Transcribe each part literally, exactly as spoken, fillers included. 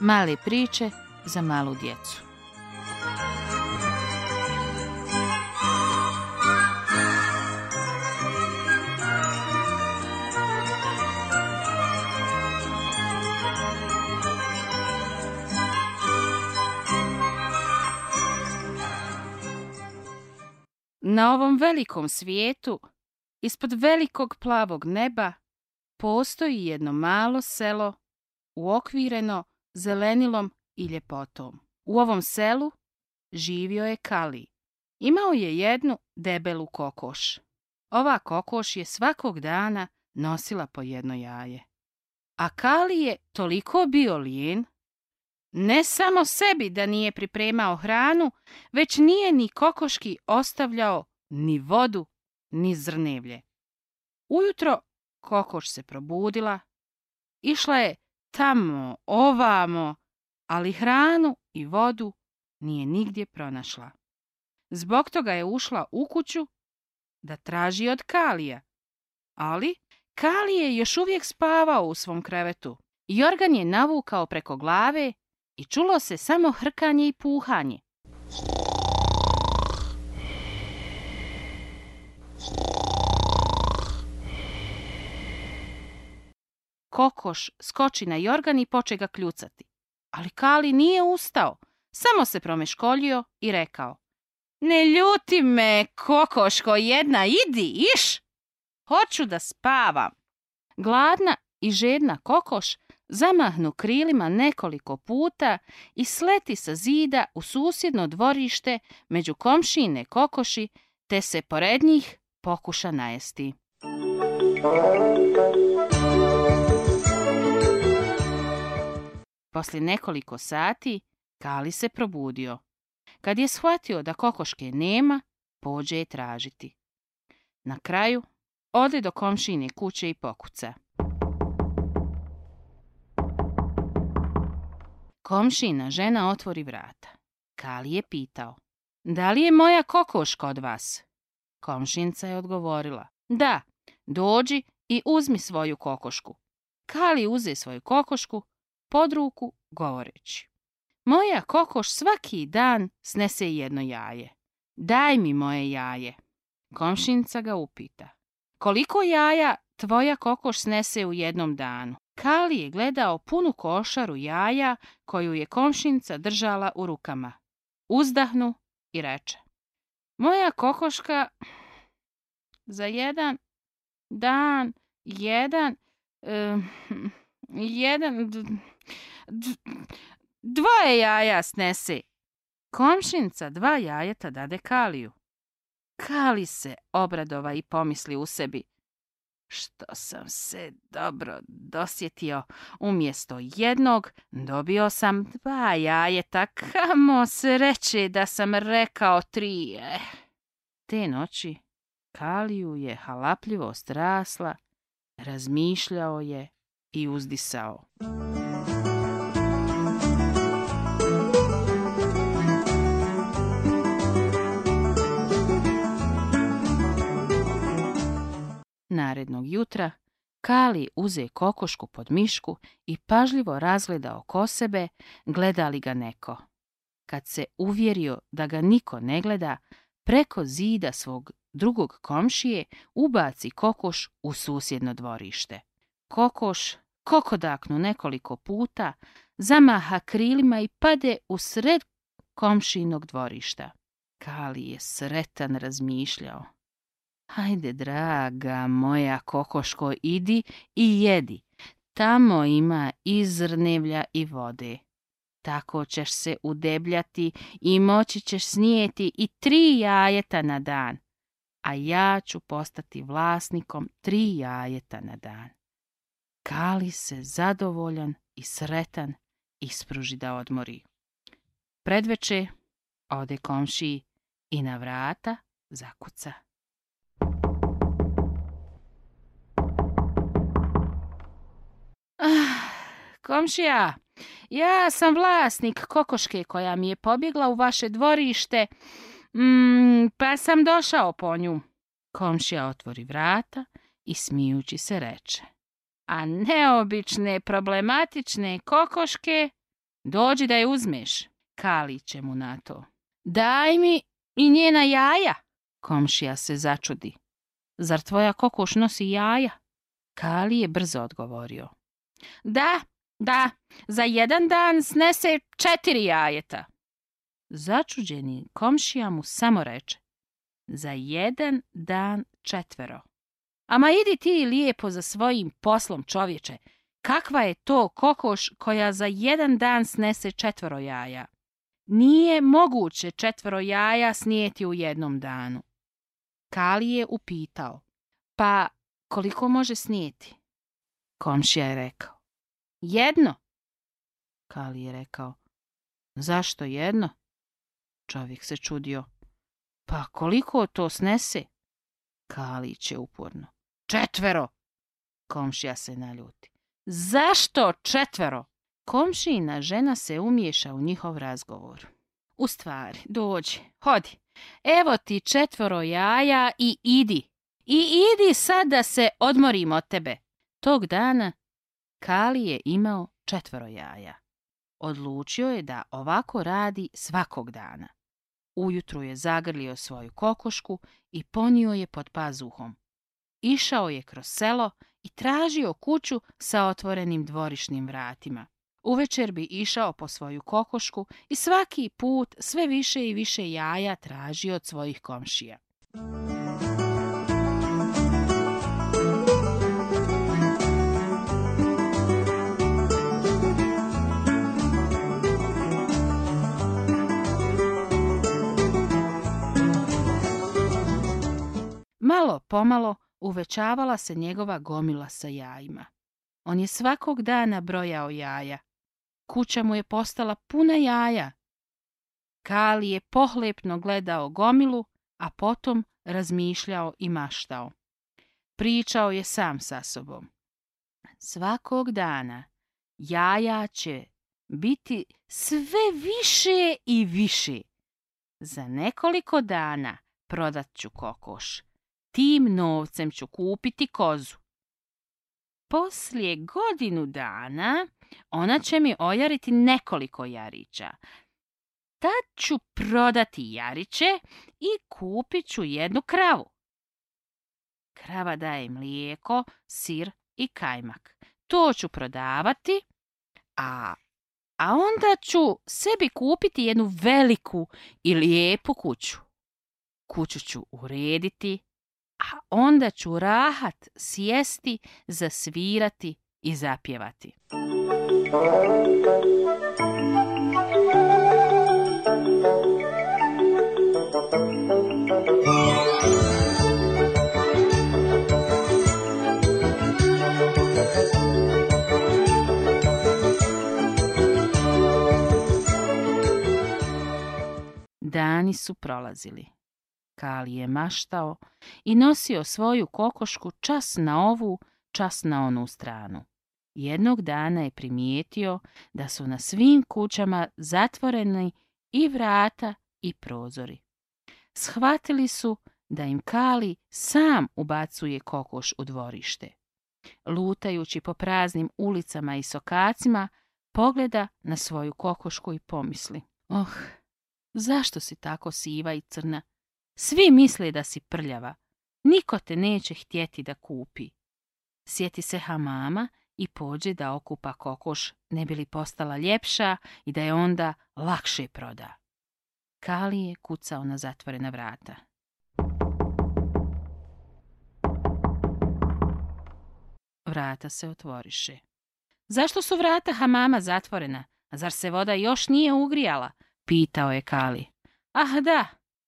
Male priče za malu djecu. Na ovom velikom svijetu, ispod velikog plavog neba, postoji jedno malo selo uokvireno zelenilom i ljepotom. U ovom selu živio je Kali. Imao je jednu debelu kokoš. Ova kokoš je svakog dana nosila po jedno jaje. A Kali je toliko bio lijen, ne samo sebi da nije pripremao hranu, već nije ni kokoški ostavljao ni vodu, ni zrnevlje. Ujutro kokoš se probudila, išla je tamo, ovamo, ali hranu i vodu nije nigdje pronašla. Zbog toga je ušla u kuću da traži od Kalija. Ali Kali je još uvijek spavao u svom krevetu. Jorgan je navukao preko glave i čulo se samo hrkanje i puhanje. Kokoš skoči na Jorgan i poče ga kljucati. Ali Kali nije ustao, samo se promeškoljio i rekao: Ne ljuti me, kokoško jedna, idi, iš! Hoću da spavam. Gladna i žedna kokoš zamahnu krilima nekoliko puta i sleti sa zida u susjedno dvorište među komšijine kokoši, te se pored njih pokuša najesti. Poslije nekoliko sati Kali se probudio. Kad je shvatio da kokoške nema, pođe je tražiti. Na kraju ode do komšijine kuće i pokuca. Komšina žena otvori vrata. Kali je pitao: Da li je moja kokoš kod vas? Komšinca je odgovorila: Da, dođi i uzmi svoju kokošku. Kali uze svoju kokošku pod ruku govoreći: Moja kokoš svaki dan snese jedno jaje. Daj mi moje jaje. Komšinca ga upita: Koliko jaja tvoja kokoš snese u jednom danu? Kali je gledao punu košaru jaja koju je komšinca držala u rukama. Uzdahnu i reče: Moja kokoška za jedan dan, jedan, uh, jedan, d, d, dvoje jaja snese. Komšinca dva jajeta dade Kaliju. Kali se obradova i pomisli u sebi: Što sam se dobro dosjetio, umjesto jednog dobio sam dva jajeta, kamo sreće da sam rekao tri. Eh. Te noći Kaliju je halapljivost rasla, razmišljao je i uzdisao. Narednog jutra Kali uze kokošku pod mišku i pažljivo razgleda oko sebe, gleda li ga neko. Kad se uvjerio da ga niko ne gleda, preko zida svog drugog komšije ubaci kokoš u susjedno dvorište. Kokoš kokodaknu nekoliko puta, zamaha krilima i pade u sred komšijinog dvorišta. Kali je sretan razmišljao: Hajde, draga moja kokoško, idi i jedi. Tamo ima i zrnevlja i vode. Tako ćeš se udebljati i moći ćeš snijeti i tri jajeta na dan. A ja ću postati vlasnikom tri jajeta na dan. Kali se zadovoljan i sretan ispruži da odmori. Predveče ode komšiji i na vrata zakuca. Ah, komšija, ja sam vlasnik kokoške koja mi je pobjegla u vaše dvorište, mm, pa sam došao po nju. Komšija otvori vrata i smijući se reče: A neobične, problematične kokoške Dođi da je uzmeš. Kali će mu na to. Daj mi i njena jaja. Komšija se začudi. Zar tvoja kokoš nosi jaja? Kali je brzo odgovorio. Da, da, za jedan dan snese četiri jajeta. Začuđeni komšija mu samo reče. Za jedan dan četvero. Ama idi ti lijepo za svojim poslom, čovječe. Kakva je to kokoš koja za jedan dan snese četvero jaja? Nije moguće četvero jaja snijeti u jednom danu. Kali je upitao. Pa koliko može snijeti? Komšija je rekao. Jedno. Kali je rekao. Zašto jedno? Čovjek se čudio. Pa koliko to snese? Kalić je uporno. Četvero. Komšija se naljuti. Zašto četvero? Komšijina žena se umiješa u njihov razgovor. U stvari, dođi, hodi. Evo ti četvero jaja i idi. I idi sad da se odmorim od tebe. Tog dana Kali je imao četvero jaja. Odlučio je da ovako radi svakog dana. Ujutru je zagrlio svoju kokošku i ponio je pod pazuhom. Išao je kroz selo i tražio kuću sa otvorenim dvorišnim vratima. Uvečer bi išao po svoju kokošku i svaki put sve više i više jaja tražio od svojih komšija. Malo pomalo uvećavala se njegova gomila sa jajima. On je svakog dana brojao jaja. Kuća mu je postala puna jaja. Kali je pohlepno gledao gomilu, a potom razmišljao i maštao. Pričao je sam sa sobom. Svakog dana jaja će biti sve više i više. Za nekoliko dana prodat ću kokoš. Tim novcem ću kupiti kozu. Poslije godinu dana ona će mi ojariti nekoliko jarića. Tad ću prodati jariće i kupit ću jednu kravu. Krava daje mlijeko, sir i kajmak. To ću prodavati, a, a onda ću sebi kupiti jednu veliku i lijepu kuću. Kuću ću urediti, a onda ću rahat sjesti, zasvirati i zapjevati. Dani su prolazili. Kali je maštao i nosio svoju kokošku čas na ovu, čas na onu stranu. Jednog dana je primijetio da su na svim kućama zatvoreni i vrata i prozori. Shvatili su da im Kali sam ubacuje kokoš u dvorište. Lutajući po praznim ulicama i sokacima, pogleda na svoju kokošku i pomisli. Oh, zašto si tako siva i crna? Svi misle da si prljava. Niko te neće htjeti da kupi. Sjeti se hamama i pođe da okupa kokoš, ne bi li postala ljepša i da je onda lakše proda. Kali je kucao na zatvorena vrata. Vrata se otvoriše. Zašto su vrata hamama zatvorena? Zar se voda još nije ugrijala? Pitao je Kali. Ah, da.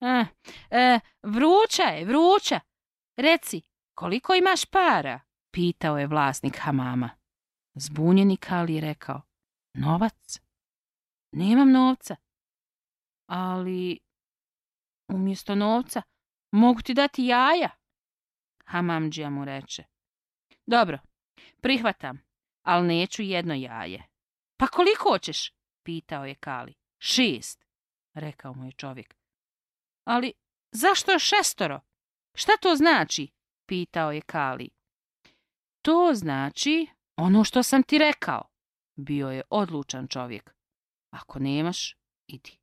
A, e, vruća je, vruća. Reci, koliko imaš para? Pitao je vlasnik hamama. Zbunjeni Kali je rekao. Novac? Nemam novca. Ali umjesto novca mogu ti dati jaja. Hamamdžija mu reče. Dobro, prihvatam, ali neću jedno jaje. Pa koliko hoćeš? Pitao je Kali. Šest, rekao mu je čovjek. Ali zašto šestoro? Šta to znači? Pitao je Kali. To znači ono što sam ti rekao. Bio je odlučan čovjek. Ako nemaš, idi.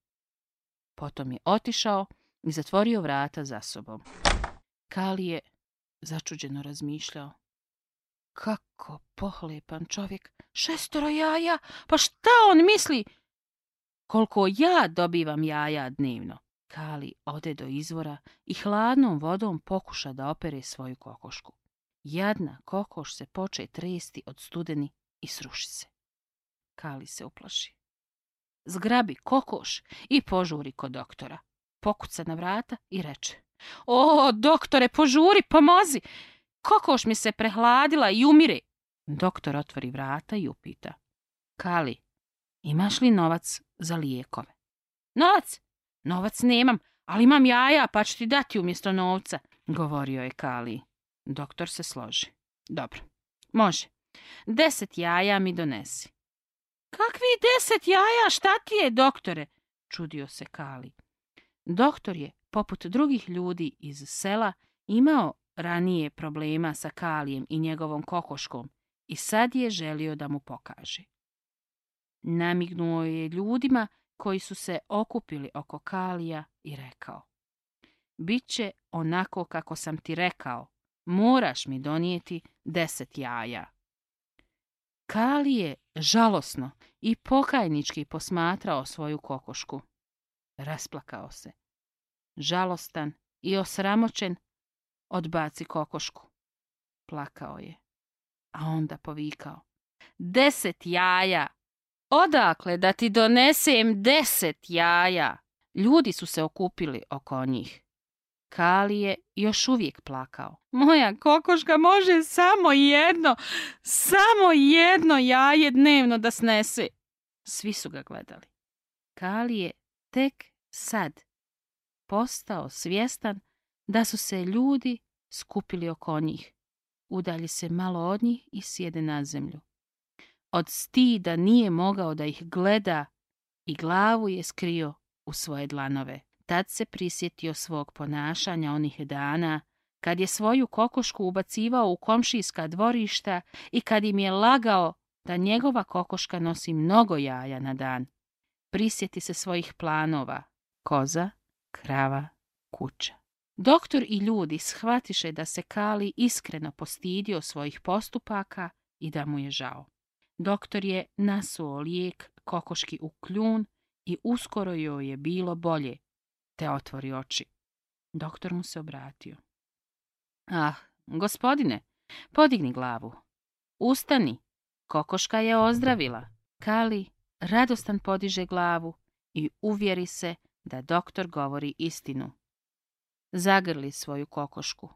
Potom je otišao i zatvorio vrata za sobom. Kali je začuđeno razmišljao. Kako pohlepan čovjek, šestoro jaja, pa šta on misli? Koliko ja dobivam jaja dnevno? Kali ode do izvora i hladnom vodom pokuša da opere svoju kokošku. Jadna kokoš se poče tresti od studeni i sruši se. Kali se uplaši. Zgrabi kokoš i požuri kod doktora. Pokuca na vrata i reče: O, doktore, požuri, pomozi! Kokoš mi se prehladila i umire. Doktor otvori vrata i upita: Kali, imaš li novac za lijekove? Novac? Novac nemam, ali imam jaja, pa ću ti dati umjesto novca, govorio je Kali. Doktor se složi. Dobro, može. Deset jaja mi donesi. Kakvi deset jaja, šta ti je, doktore? Čudio se Kali. Doktor je, poput drugih ljudi iz sela, imao ranije problema sa Kalijem i njegovom kokoškom i sad je želio da mu pokaže. Namignuo je ljudima koji su se okupili oko Kalija i rekao: Biće onako kako sam ti rekao, moraš mi donijeti deset jaja. Kali je žalosno i pokajnički posmatrao svoju kokošku. Rasplakao se. Žalostan i osramoćen, odbaci kokošku. Plakao je, a onda povikao: Deset jaja! Odakle da ti donesem deset jaja? Ljudi su se okupili oko njih. Kali je još uvijek plakao. Moja kokoška može samo jedno, samo jedno jaje dnevno da snese. Svi su ga gledali. Kali je tek sad postao svjestan da su se ljudi skupili oko njih. Udalji se malo od njih i sjede na zemlju. Od stida nije mogao da ih gleda i glavu je skrio u svoje dlanove. Tad se prisjetio svog ponašanja onih dana, kad je svoju kokošku ubacivao u komšijska dvorišta i kad im je lagao da njegova kokoška nosi mnogo jaja na dan. Prisjeti se svojih planova: koza, krava, kuća. Doktor i ljudi shvatiše da se Kali iskreno postidio svojih postupaka i da mu je žao. Doktor je nasuo lijek kokoški u kljun i uskoro joj je bilo bolje, te otvori oči. Doktor mu se obratio. Ah, gospodine, podigni glavu. Ustani, kokoška je ozdravila. Kali radostan podiže glavu i uvjeri se da doktor govori istinu. Zagrli svoju kokošku.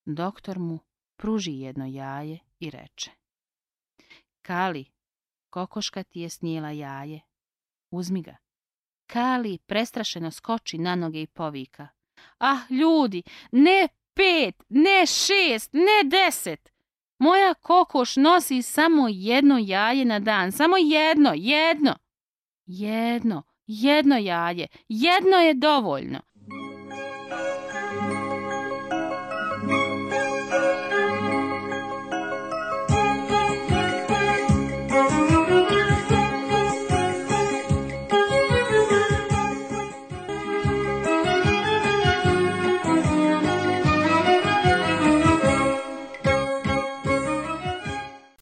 Doktor mu pruži jedno jaje i reče: Kali, kokoška ti je snijela jaje. Uzmi ga. Kali prestrašeno skoči na noge i povika: Ah, ljudi, ne pet, ne šest, ne deset. Moja kokoš nosi samo jedno jaje na dan. Samo jedno, jedno. Jedno, jedno jaje. Jedno je dovoljno.